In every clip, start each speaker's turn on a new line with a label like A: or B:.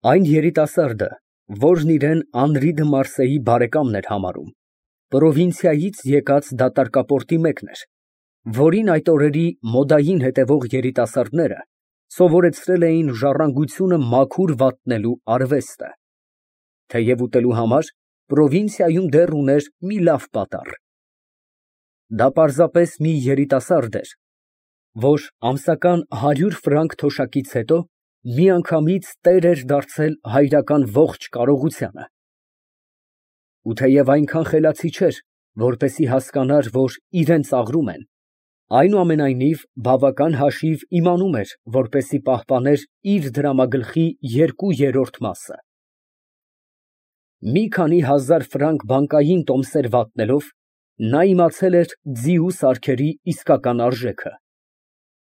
A: Այն երիտասարդը, որն իրան Անրի դը Մարսեի բարեկամն էր համարում, պրովինցիայից եկած դատարկապորտի մեկն էր, որին այդ օրերի մոդային հետևող երիտասարդները սովորեցրել էին ժառանգությունը մաքուր վատնելու արվեստը, թեև ուտելու համար պրովինցիայում դեռ ուներ մի լավ պատառ։ Դա պարզապես մի երիտասարդ էր, որ ամսական 100 ֆրանկ թոշակից հետո միանգամից տեր էր դարձել հայրական ողջ կարողությանը։ Ու թեև այնքան խելացի չէր, որպեսզի հասկանար, որ իրան ծաղրում են, այնուամենայնիվ բավական հաշիվ իմանում էր, որպեսզի պահպաներ իր դրամագլխի 2/3 մասը։ Մի քանի հազար ֆրանկ բանկային տոմսեր վատնելով, նա իմացել էր ձիու սարքերի իսկական արժեքը,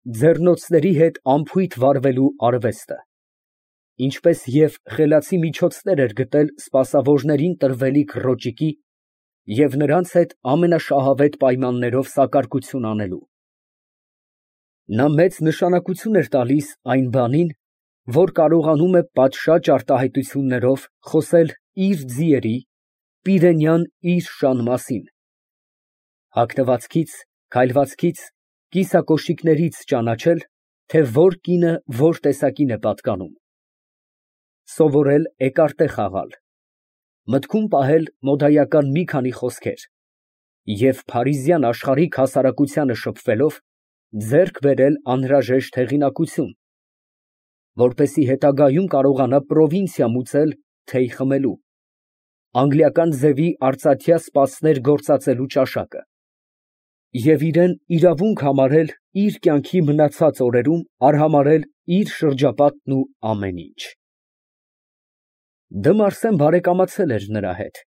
A: ձեռնոցների հետ անփույթ վարվելու արվեստը, ինչպես և խելացի միջոցներ էր գտել սպասավորներին տրվելիք ռոճիկի և նրանց հետ ամենաշահավետ պայմաններով սակարկություն անելու։ Նա մեծ նշանակություն էր տալիս այն բանին, որ կարողանում է պատշաճ արտահայտություններով խոսել իր ձիերի, պիրենյան իր շան մասին, հագնվածքից, քայլվածքից, կիսակոշիկներից ճանաչել, թե որ կինը որ տեսակին է պատկանում, սովորել էկարտե խաղալ, մտքում պահել մոդայական մի քանի խոսքեր և փարիզյան աշխարհիկ հասարակությանը շփվելով, ձեռք բերել անհրաժեշտ հեղինակություն, որպեսզի հետագայում կարողանա պրովինցիա մուծել թեյ խմելու, անգլիական ձևի արծաթյա սպասներ գործածելու ճաշակը և իրան իրավունք համարել իր կյանքի մնացած օրերում արհամարհել իր շրջապատն ու ամեն ինչ։ Դը Մարսեն բարեկամացել էր նրա հետ,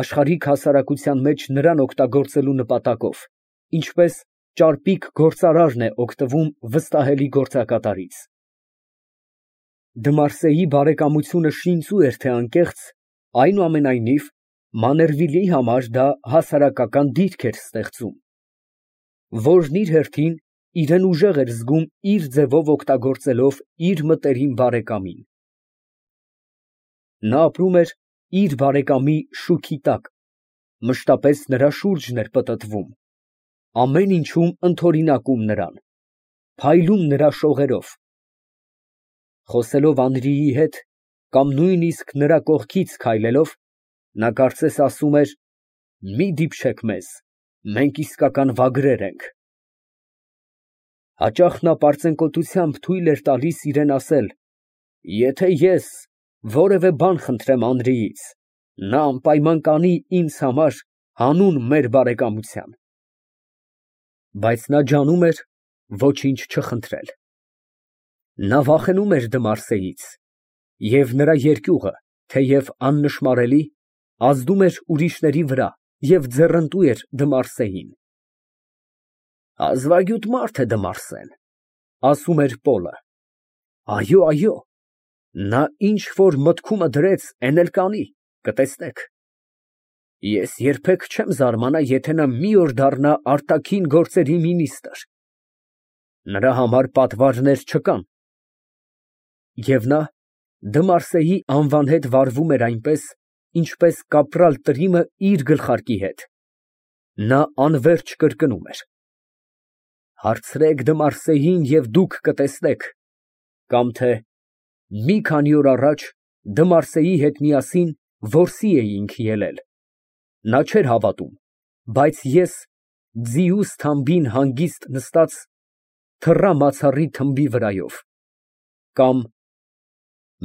A: աշխարհիկ հասարակության մեջ նրան օգտագործելու նպատակով, ինչպես ճարպիկ գործարարն է օգտվում վստահելի գործակատարից։ Դմարսեի բարեկամությունը շինծու էր թե անկեղծ, այնուամենայնիվ Մաներվիլի համար դա հասարակական դիրք էր ստեղծում, որն իր հերթին իրան ուժեղ էր զգում իր ձևով օգտագործելով իր մտերիմ բարեկամին։ Նա ապրում էր իր բարեկամի շուքի տակ, մշտապես նրա շուրջն էր պտտվում, ամեն ինչում ընդօրինակում նրան, փայլում նրա շողերով։ Խոսելով Անրիի հետ կամ նույնիսկ նրա կողքից քայլելով, նա կարծես ասում էր. «Մի դիպչեք մեզ, մենք իսկական վագրեր ենք»։ Հաճախ նա պարծենկոտությամբ թույլ էր տալիս իրան ասել. «Եթե ես որևէ բան խնդրեմ Անրիից, նա անպայման կանի ինձ համար հանուն մեր բարեկամության»։ Բայց նա ջանում էր ոչինչ չխնդրել։ Նա վախենում էր Դմարսեից, և նրա երկյուղը, թեև աննշմարելի, ազդում էր ուրիշների վրա և ձեռնտու էր Դմարսեին։ «Հազվագյուտ մարդ է Դմարսեն», ֊ ասում էր Պոլը։ «Այո, այո, նա ինչ որ մտքումը դրեց, էն էլ կանի, կտեսնեք։ Ես երբեք չեմ զարմանա, եթե նա մի օր դառնա արտաքին գործերի մինիստրը։ Նրա համար պատվարներ չկան»։ Եվ նա Դմարսեի անվան հետ վարվում էր այնպես, ինչպես կապրալ Տրիմը իր գլխարկի հետ։ Նա անվերջ կրկնում էր. «Հարցրեք Դմարսեին և դուք կտեսնեք», կամ թե «Մի քանի օր առաջ Դմարսեի հետ միասին որսի էինք ելել, նա չէր հավատում, բայց ես ձիուս թամբին հանգիստ նստած թռա մացառի թմբի վրայով», կամ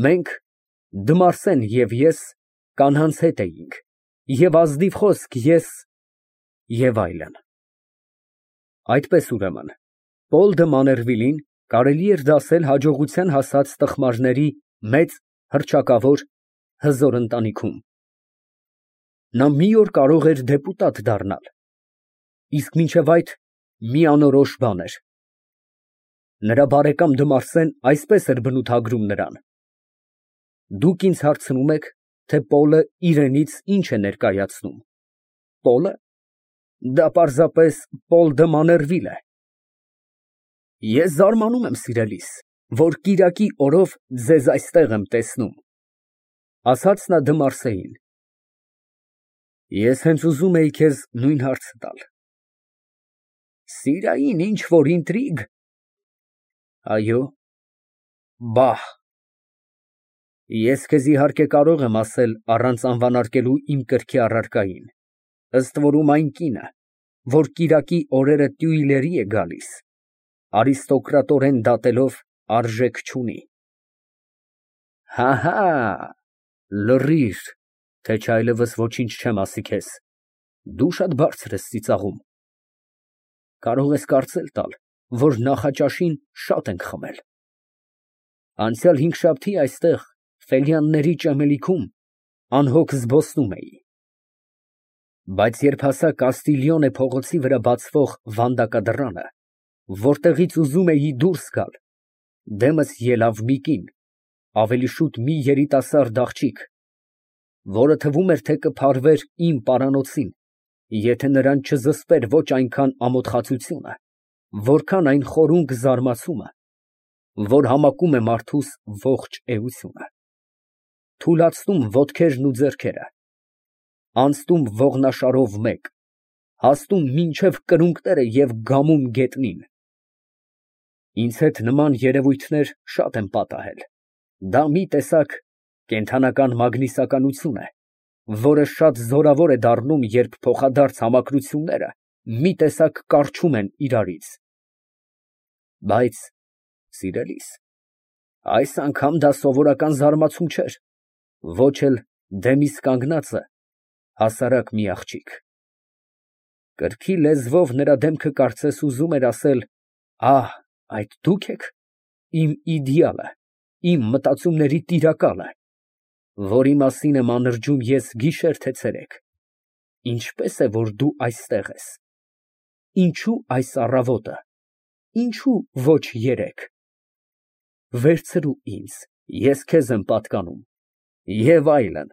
A: «Մենք, Դմարսեն և ես, կանանց հետ էինք, և ազնիվ խոսք ես» և այլն։ Այդպես, ուրեմն, Պոլ դը Մաներվիլին կարելի էր դասել հաջողության հասած տխմարների մեծ, հռչակավոր, հզոր ընտանիքում։ Նա մի օր կարող էր դեպուտատ դառնալ, իսկ մինչև այդ մի անորոշ բան էր։ Նրա բարեկամ Դմարսեն այսպես էր բնութագրում նրան. «Դուք ինձ հարցնում եք, թե Պոլը իրենից ինչ է ներկայացնում։ Պոլը։ Դա պարզապես Պոլ դը Մաներվիլ է։ Ես զարմանում եմ, սիրելիս, որ կիրակի օրով ձեզ այստեղ եմ տեսնում։ Ասաց նա Դմարսեին։ Ես հենց ուզում էի քեզ նույն հարցը տալ։ Սիրային ինչ որ ինտրիգ։ Այո։ Բահ։ Ես քեզ իհարկե կարող եմ ասել առանց անվանարկելու իմ կրքի առարկային, ըստ որում այն կինը, որ կիրակի օրերը Տյուիլերի է գալիս, արիստոկրատորեն դատելով արժեք չունի։ Հահա, լռիր, թե չէ այլևս ոչինչ չեմ ասի քեզ, դու շատ բարձր ես ծիծաղում։ Կարող ես կարծել տալ, որ նախաճաշին շատ ենք խմել։ Անցյալ հինգշաբթի այստեղ Ֆելյանների ճեմելիքում անհոգ զբոսնում էի։ Բայց երբ հասա Կաստիլիոնե փողոցի վրա բացվող վանդակադռանը, որտեղից ուզում էի դուրս գալ, դեմս ելավ մի կին, ավելի շուտ մի երիտասարդ աղջիկ, որը թվում էր, թե կփարվեր իմ պարանոցին, եթե նրան չզսպեր ոչ այնքան ամոթխածությունը, որքան այն խորունկ զարմացումը, որ համակում է մարդուս ողջ էությունը, թուլացնում ոտքերն ու ձեռքերը, անցնում ողնաշարով մեկ, հասնում մինչև կրունկները և գամում գետնին։ Ինձ հետ նման երևույթներ շատ եմ պատահել, դա մի տեսակ կենդանական մագնիսականություն է, որը շատ զորավոր է դառնում, երբ փոխադարձ համակրությունները մի տեսակ կառչում են իրարից։ Բայց, սիրելիս, այս անգամ դա սովորական զարմացում չէր, ոչ էլ դեմիս կանգնածը հասարակ մի աղջիկ։ Կրքի լեզվով նրա դեմքը կարծես ուզում էր ասել. ահ, այդ դուք եք, իմ իդեալը, իմ մտածումների տիրակալը, որի մասին եմ անրջում ես գիշեր թե ցերեկ, ինչպես է, որ դու այստեղ ես, ինչու այս առավոտը, ինչու ոչ երեկ, վերցրու ինձ, ես քեզ եմ պատկանում, և այլն։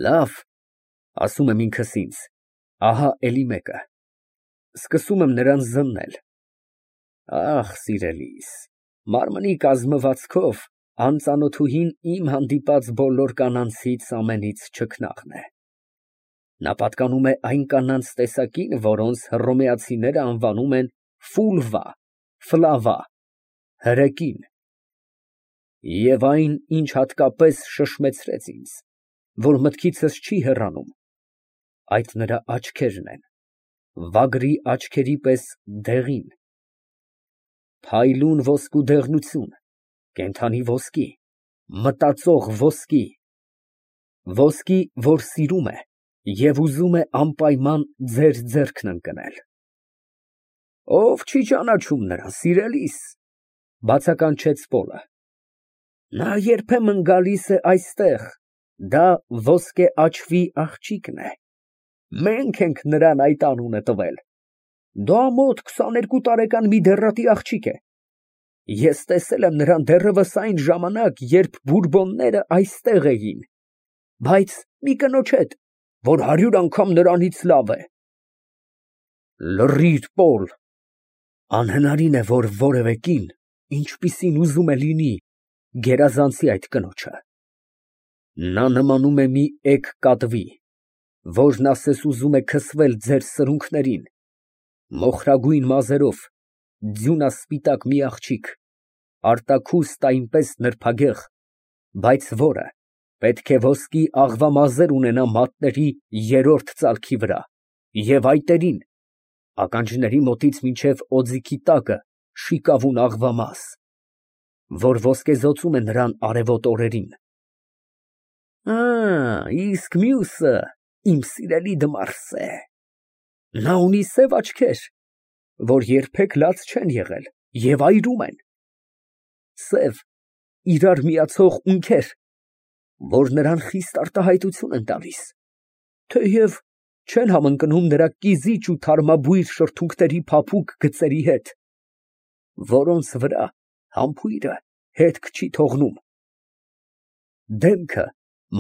A: Լավ, ասում եմ ինքս ինձ, ահա էլի մեկը, սկսում եմ նրան զննել։ Ախ, սիրելիս, մարմնի կազմվածքով անծանոթուհին իմ հանդիպած բոլոր կանանցից ամենից չքնաղն է։ Նա պատկանում է այն կանանց տեսակին, որոնց հռոմեացիները անվանում են ֆուլվա, ֆլավա, հրեկին։ Եվ այն, ինչ հատկապես շշմեցրեց ինձ, որ մտքիցս չի հեռանում, այդ նրա աչքերն են, վագրի աչքերի պես դեղին, փայլուն ոսկու դեղնություն, կենդանի ոսկի, մտածող ոսկի, ոսկի, որ սիրում է և ուզում է անպայման ձեր ձեռքն ընկնել։ Ով չի ճանաչում նրան, սիրելիս, բացականչեց Պոլը։ Նա երբեմն գալիս է այստեղ, դա ոսկե աչվի աղջիկն է, մենք ենք նրան այդ անունը տվել, դա մոտ 22 տարեկան մի դեռատի աղջիկ է, ես տեսել եմ նրան դեռևս այն ժամանակ, երբ բուրբոնները այստեղ էին, բայց մի կնոջ հետ, որ 100 անգամ նրանից լավ է։ Լռիր, Պոլ, անհնարին է, որ որևէ կին, ինչպիսին ուզում է լինի, գերազանցի այդ կնոջը։ Նա նմանում է մի էգ կատվի, որն ասես ուզում է քսվել ձեր սրունքներին, մոխրագույն մազերով, ձյունասպիտակ մի աղջիկ, արտաքուստ այնպես նրբագեղ, բայց որը պետք է ոսկի աղվամազեր ունենա մատների երրորդ ծալքի վրա և այտերին, ականջների մոտից մինչև օձիքի տակը շիկավուն աղվամազ, որ ոսկեզօծում է նրան արևոտ օրերին։ Իսկ մյուսը, իմ սիրելի Դմարսե, նա ունի սև աչքեր, որ երբեք լաց չեն եղել և այրում են, սև, իրար միացող ունքեր, որ նրան խիստ արտահայտություն են տալիս, թեև չեն համընկնում նրա կիզիչ ու թարմաբույր շրթունքների փափուկ գծերի հետ, որոնց վրա համբույրը հետք չի թողնում, դեմքը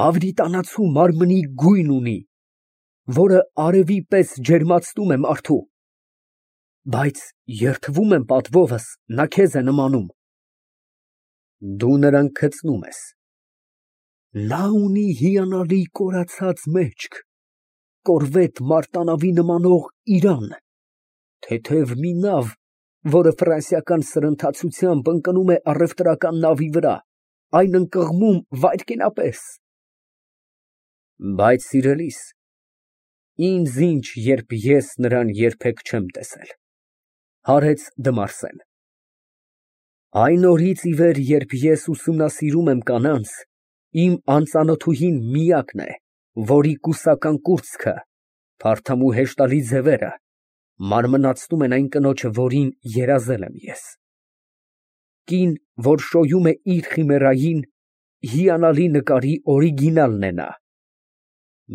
A: մավրիտանացու մարմնի գույն ունի, որը արևի պես ջերմացնում է մարդու, բայց երդվում եմ պատվովս, նա քեզ է նմանում, Դու նրան գցնում ես։ Նա ունի հիանալի կորացած մեջք, կորվետ մարտանավի նմանող իրան, թեթև մի նավ, որը ֆրանսիական սրընթացությամբ ընկնում է առևտրական նավի վրա, այն ընկղմում վայրկենապես։ Բայց սիրելիս, ինձ ինչ, երբ ես նրան երբեք չեմ տեսել, հարեց Դմարսեն։ Այն օրից ի վեր, երբ ես ուսումնասիրում եմ կանանց, իմ անծանոթուհին միակն է, որի կուսական կուրծքը, փարթամ ու հեշտալի ձևերը մարմնացնում են այն կնոջը, որին երազել եմ ես։ Կին, որ շոյում է իր խիմերային, հիանալի նկարի օրիգինալն է նա։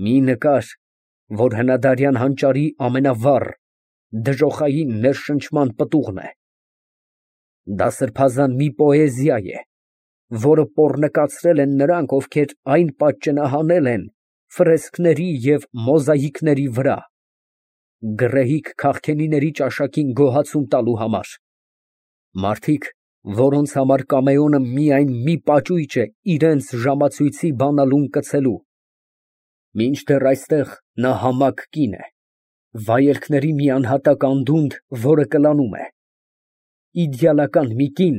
A: Մի նկար, որ հնադարյան հանճարի ամենավառ, դժոխային ներշնչման պտուղն է։ Դա սրբազան մի պոեզիա է, որը պոռնկացրել են նրանք, ովքեր այն պատճենահանել են ֆրեսկների և մոզաիկների վրա, գռեհիկ քաղքենիների ճաշակին գոհացում տալու համար, մարդիկ, որոնց համար կամեոնը միայն մի պաճույճ է իրենց ժամացույցի բանալուն կցելու, մինչդեռ այստեղ նա համակ կին է, վայելքների մի անհատակ անդունդ, որը կլանում է, իդեալական մի կին,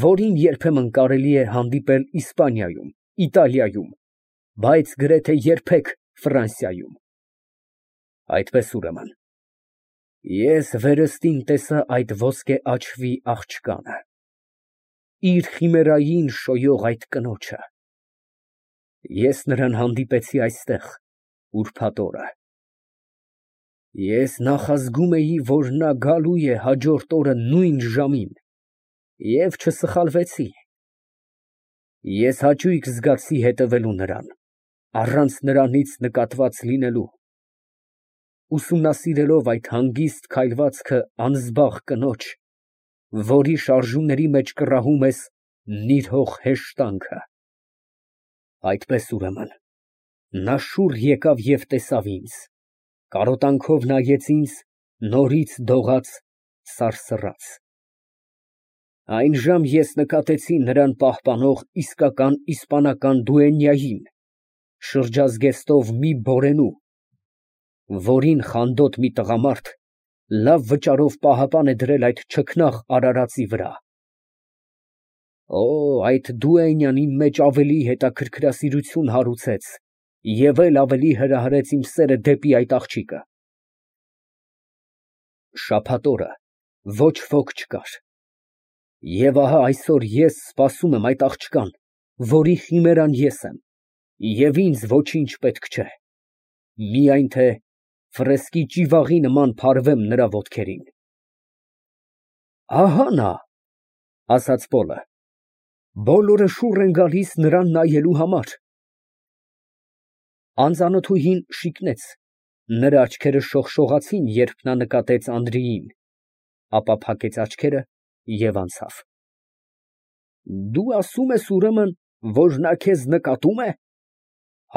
A: որին երբեմն կարելի է հանդիպել Իսպանիայում, Իտալիայում, բայց գրեթե երբեք Ֆրանսիայում։ Այդպես ուրեմն, ես վերստին տեսա այդ ոսկե աչվի աղջկանը, իր խիմերային շոյող այդ կնոջը։ Ես նրան հանդիպեցի այստեղ, ուրբաթ օրը։ Ես նախազգում էի, որ նա գալու է հաջորդ օրը նույն ժամին, և չսխալվեցի։ Ես հաճույք զգացի հետևելու նրան, առանց նրանից նկատված լինելու, ուսումնասիրելով այդ հանգիստ քայլվածքը անզբաղ կնոջ, որի շարժումների մեջ կռահում ես նիրհող հեշտանքը։ Այդպես ուրեմն, նա շուռ եկավ և տեսավ ինձ, կարոտանքով նայեց ինձ, նորից դողաց, սարսռաց։ Այնժամ ես նկատեցի նրան պահպանող իսկական իսպանական դուենյային, շրջազգեստով մի բորենու, որին խանդոտ մի տղամարդ լավ վճարով պահապան է դրել այդ չքնաղ արարածի վրա։ Օ, այդ դուենյան իմ մեջ ավելի հետաքրքրասիրություն հարուցեց և էլ ավելի հրահրեց իմ սերը դեպի այդ աղջիկը։ Շաբաթ օրը ոչ ոք չկար։ Եվ ահա այսօր ես սպասում եմ այդ աղջկան, որի խիմերան ես եմ, և ինձ ոչինչ պետք չէ, միայն թե ֆրեսկի ճիվաղի նման փարվեմ նրա ոտքերին։ Ահա նա, ասաց Պոլը, բոլորը շուռ են գալիս նրան նայելու համար։ Անծանոթուհին շիկնեց, նրա աչքերը շողշողացին, երբ նա նկատեց Անդրեին, ապա փակեց աչքերը և անցավ։ Դու ասում ես, ուրեմն, որ նա քեզ նկատում է,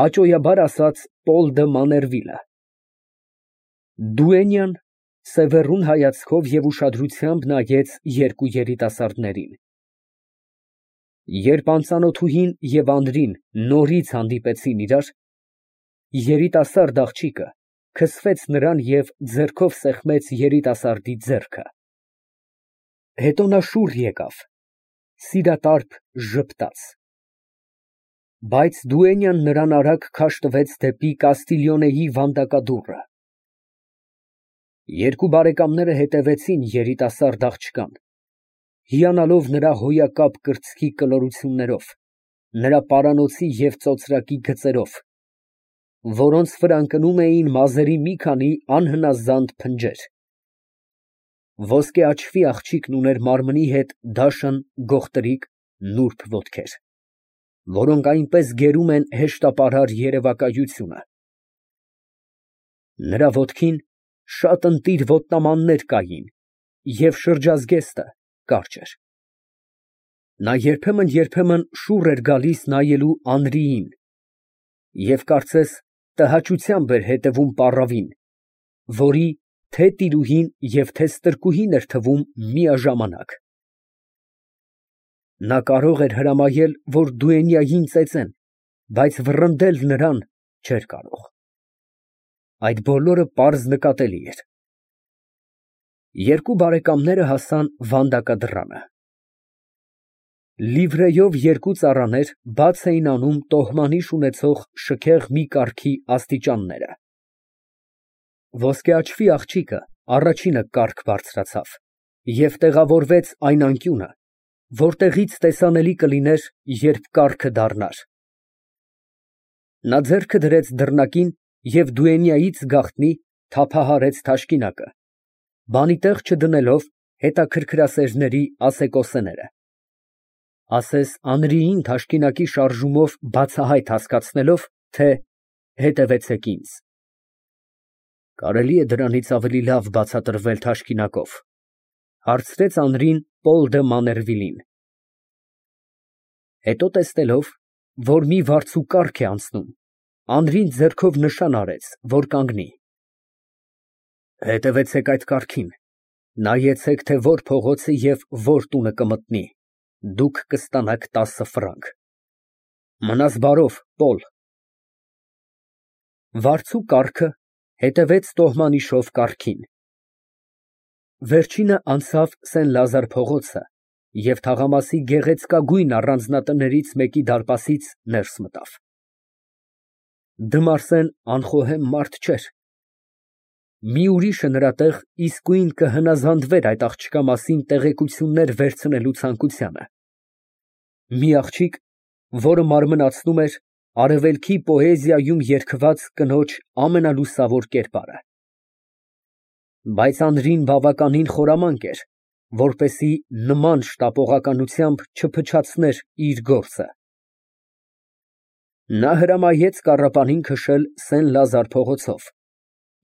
A: հաճոյաբար ասաց Պոլ դը Մաներվիլը։ Դուենյան սևեռուն հայացքով և ուշադրությամբ նայեց երկու երիտասարդներին։ Երբ անծանոթուհին և Անդրին նորից հանդիպեցին իրար, երիտասարդ աղջիկը քսվեց նրան և ձեռքով սեղմեց երիտասարդի ձեռքը։ Հետո նա շուռ եկավ, սիրատարբ ժպտաց։ Բայց դուենյան նրան արագ քաշ տվեց դեպի Կաստիլիոնեի վանդակադուռը։ Երկու բարեկամները հետևեցին երիտասարդ աղջկան, հիանալով նրա հոյակապ կրծքի կլորություններով, նրա պարանոցի և ծոծրակի գծերով, որոնց վրա ընկնում էին մազերի մի քանի անհնազանդ փնջեր։ Ոսկե աչվի աղջիկն ուներ մարմնի հետ դաշն գողտրիկ նուրբ ոտքեր, որոնք այնպես գերում են հեշտապարար երևակայությունը։ Նրա ոտքին շատ ընտիր ոտնամաններ կային և շրջազգեստը կարճ էր։ Նա երբեմն շուռ էր գալիս նայելու Անրիին և կարծես տհաճությամբ էր հետևում պառավին, որի թե տիրուհին և թե ստրկուհին էր թվում միաժամանակ։ Նա կարող էր հրամայել, որ Դուենյային ծեծեն, բայց վռնդել նրան չէր կարող։ Այդ բոլորը պարզ նկատելի էր։ Երկու բարեկամները հասան վանդակադրանը։ Լիվրեյով երկու ծառաներ բաց էին անում տոհմանիշ ունեցող շքեղ մի կառքի աստիճանները։ Ոսկե աչքի աղջիկը առաջինը կառք բարձրացավ և տեղավորվեց այն անկյունը, որտեղից տեսանելի կլիներ, երբ կառքը դառնար։ Նա ձեռքը դրեց դռնակին և Դուենյայից գաղտնի թափահարեց թաշկինակը, բանի տեղ չդնելով հետաքրքրասերների ասեկոսեները, ասես Անրիին թաշկինակի շարժումով բացահայտ հասկացնելով, թե հետևեցեք ինձ։ Կարելի է դրանից ավելի լավ բացատրվել թաշկինակով, հարցրեց Անրին Պոլ դը Մաներվիլին։ Հետո տեսնելով, որ մի վարձու կառք է անցնում, Անրին ձեռքով նշան արեց, որ կանգնի։ Հետևեցեք այդ կառքին, նայեցեք, թե որ փողոցը և որ տունը կմտնի, դուք կստանաք 10 ֆրանկ։ Մնաս բարով, Պոլ։ Վարձու կառքը հետևեց տոհմանիշով կառքին։ Վերջինը անցավ Սեն Լազար փողոցը և թաղամասի գեղեցկագույն առանձնատներից մեկի դարպասից ներս մտավ։ Դմարսեն անխոհեմ մարդ չէր։ Մի ուրիշը նրա տեղ իսկույն կհնազանդվեր այդ աղջկա մասին տեղեկություններ վերցնելու ցանկությանը։ Մի աղջիկ, որը մարմնացնում էր արևելքի պոեզիայում երգված կնոջ ամենալուսավոր կերպարը։ Բայց Անրին բավականին խորամանկ էր, որպեսզի նման շտապողականությամբ չփչացներ իր գործը։ Նա հրամայեց կառապանին քշել Սեն Լազար փողոցով,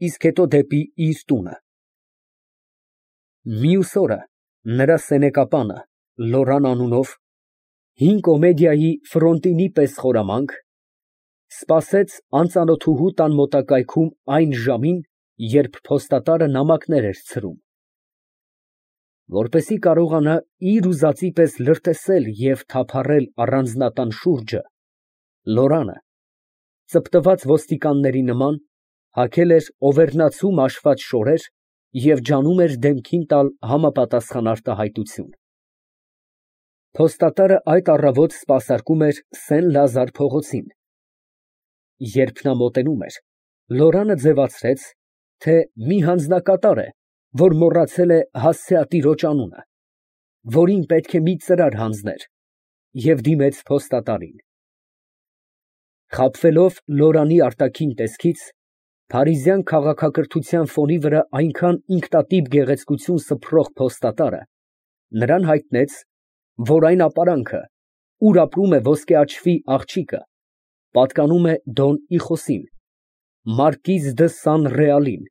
A: իսկ հետո դեպի իր տունը։ Մյուս օրը նրա սենեկապանը Լորան անունով, հին կոմեդիայի ֆրոնտինի պես խորամանկ, սպասեց անծանոթուհու տան մոտակայքում այն ժամին, երբ փոստատարը նամակներ էր ցրում։ Որպեսզի կարողանա իր ուզածի պես լրտեսել և թափառել առանձնատան շուրջը, Լորանը, ծպտված ոստիկանների նման, հագել էր օվերնացու մաշված շորեր և ջանում էր դեմքին տալ համապատասխան արտահայտություն։ Փոստատարը այդ առավոտ սպասարկում էր Սեն Լազար փողոցին։ Երբ նա մոտենում էր, Լորանը ձևացրեց, թե մի հանձնակատար է, որ մոռացել է հասցեատիրոջ անունը, որին պետք է մի ծրար հանձներ, և դիմեց փոստատարին։ Խաբվելով Լորանի արտաքին տեսքից, փարիզյան քաղաքակրթության ֆոնի վրա այնքան ինքնատիպ գեղեցկություն սփռող փոստատարը նրան հայտնեց, որ այն ապարանքը, ուր ապրում է ոսկե աչքի աղջիկը, պատկանում է Դոն Իխոսին, մարկիզ դը Սան Ռեալին,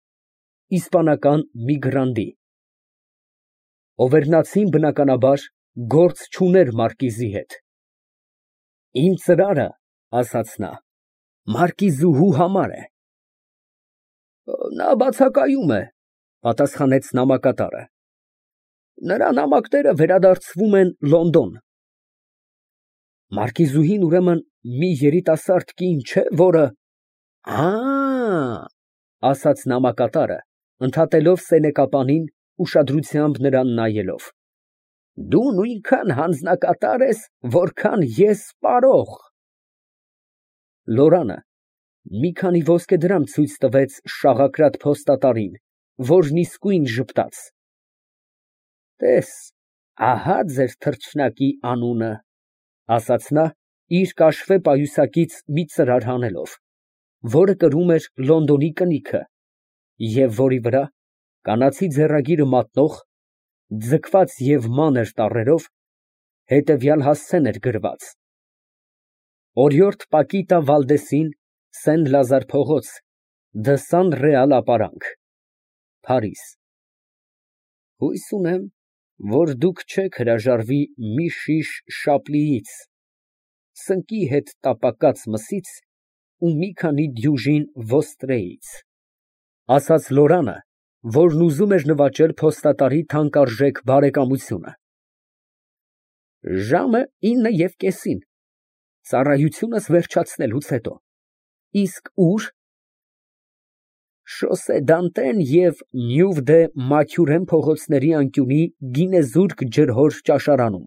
A: իսպանական մի գրանդի։ Օվերնացին, բնականաբար, գործ չուներ մարկիզի հետ։ Իմ ծրարը, ասաց նա, մարկիզուհու համար է։ Նա բացակայում է, պատասխանեց նամակատարը։ Նրա նամակները վերադարձվում են Լոնդոն։ Մարկիզուհին, ուրեմն, մի երիտասարդ կին չէ, որը… ասաց նամակատարը, ընդհատելով սենեկապանին, ուշադրությամբ նրան նայելով։ Դու նույնքան հանձնակատար ես, որքան ես պարող։ Լորանը մի քանի ոսկե դրամ ցույց տվեց շաղակրատ փոստատարին, որն իսկույն ժպտաց։ Տես, ահա ձեր թռչնակի անունը, ասաց նա, իր կաշվե պայուսակից մի ծրար հանելով, որը կրում էր Լոնդոնի կնիքը, և որի վրա, կանացի ձեռագիրը մատնող, ձգված և մանր տառերով, հետևյալ հասցեն էր գրված. Օրիորդ Պակիտա Վալդեսին, Սեն Լազար փողոց, Դը Սան Ռեալ ապարանք, Փարիզ։ Հույս ունեմ, որ դուք չեք հրաժարվի մի շիշ Շապլիից, սնկի հետ տապակած մսից ու մի քանի դյուժին Վոստրեից, ասաց Լորանը, որն ուզում էր նվաճել փոստատարի թանկարժեք բարեկամությունը։ Ժամը 9:30, ծառայությունս վերջացնելուց հետո։ Իսկ ո՞ւր։ Շոսե Դանտեն և Նյուվ դե Մաքյուրեն փողոցների անկյունի գինեզուրկ ջրհոր ճաշարանում։